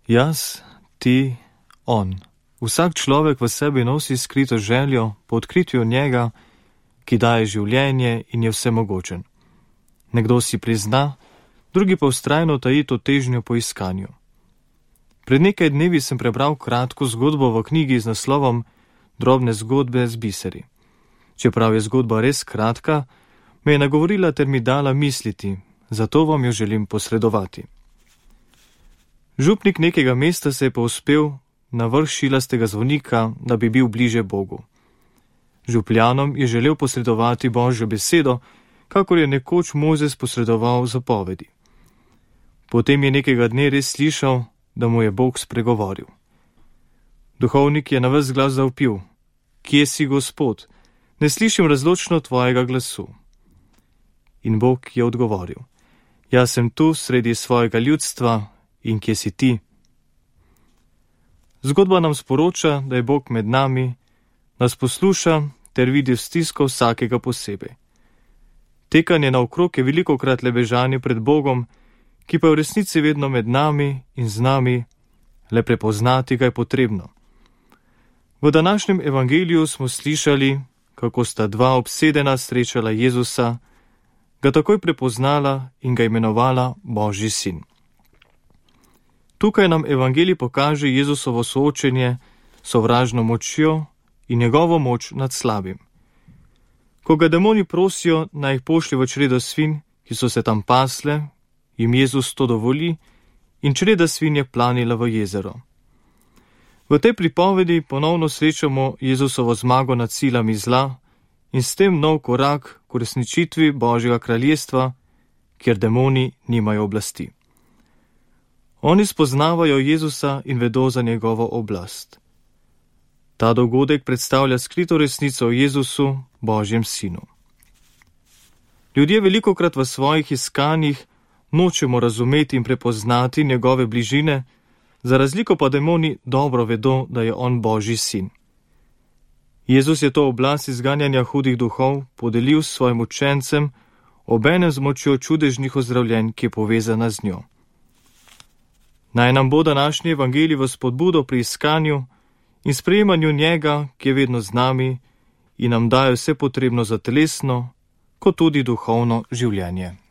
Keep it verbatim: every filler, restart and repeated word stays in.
Jaz, ti, on. Vsak človek v sebi nosi skrito željo po odkritju njega, ki daje življenje in je vsemogočen. Nekdo si prizna, drugi pa vztrajno taji to težnjo po iskanju. Pred nekaj dnevi sem prebral kratko zgodbo v knjigi z naslovom Drobne zgodbe z biseri. Čeprav je zgodba res kratka, me je nagovorila ter mi dala misliti, zato vam jo želim posredovati. Župnik nekega mesta se je povzpel na vrh šilastega zvonika, da bi bil bliže Bogu. Župljanom je želel posredovati Božjo besedo, kakor je nekoč Mojzes posredoval zapovedi. Potem je nekega dne res slišal, da mu je Bog spregovoril. Duhovnik je na ves glas zavpil: Kje si, Gospod? Ne slišim razločno tvojega glasu. In Bog je odgovoril: Jaz sem tu sredi svojega ljudstva in kje si ti? Zgodba nam sporoča, da je Bog med nami, nas posluša ter vidi stisko vsakega posebej. Tekanje naokrog je velikokrat le bežanje pred Bogom, ki pa je v resnici vedno med nami in z nami, le prepoznati ga je potrebno. V današnjem evangeliju smo slišali, kako sta dva obsedena srečala Jezusa, ga takoj prepoznala in ga imenovala Božji sin. Tukaj nam evangelij pokaže Jezusovo soočenje s sovražno močjo in njegovo moč nad slabim. Ko ga demoni prosijo, naj jih pošlje v čredo svinj, ki so se tam pasle, jim Jezus to dovoli in čreda svinj je planila v jezero. V tej pripovedi ponovno srečamo Jezusovo zmago nad silami zla in s tem nov korak k uresničitvi Božjega kraljestva, kjer demoni nimajo oblasti. Oni spoznavajo Jezusa in vedo za njegovo oblast. Ta dogodek predstavlja skrito resnico o Jezusu, Božjem sinu. Ljudje velikokrat v svojih iskanjih nočemo razumeti in prepoznati njegove bližine, za razliko pa demoni dobro vedo, da je on Božji sin. Jezus je to oblast izganjanja hudih duhov podelil svojim učencem, obenem z močjo čudežnih ozdravljenj, ki je povezana z njo. Naj nam bo današnji evangelij v spodbudo pri iskanju in sprejemanju njega, ki je vedno z nami in nam daje vse potrebno za telesno, kot tudi duhovno življenje.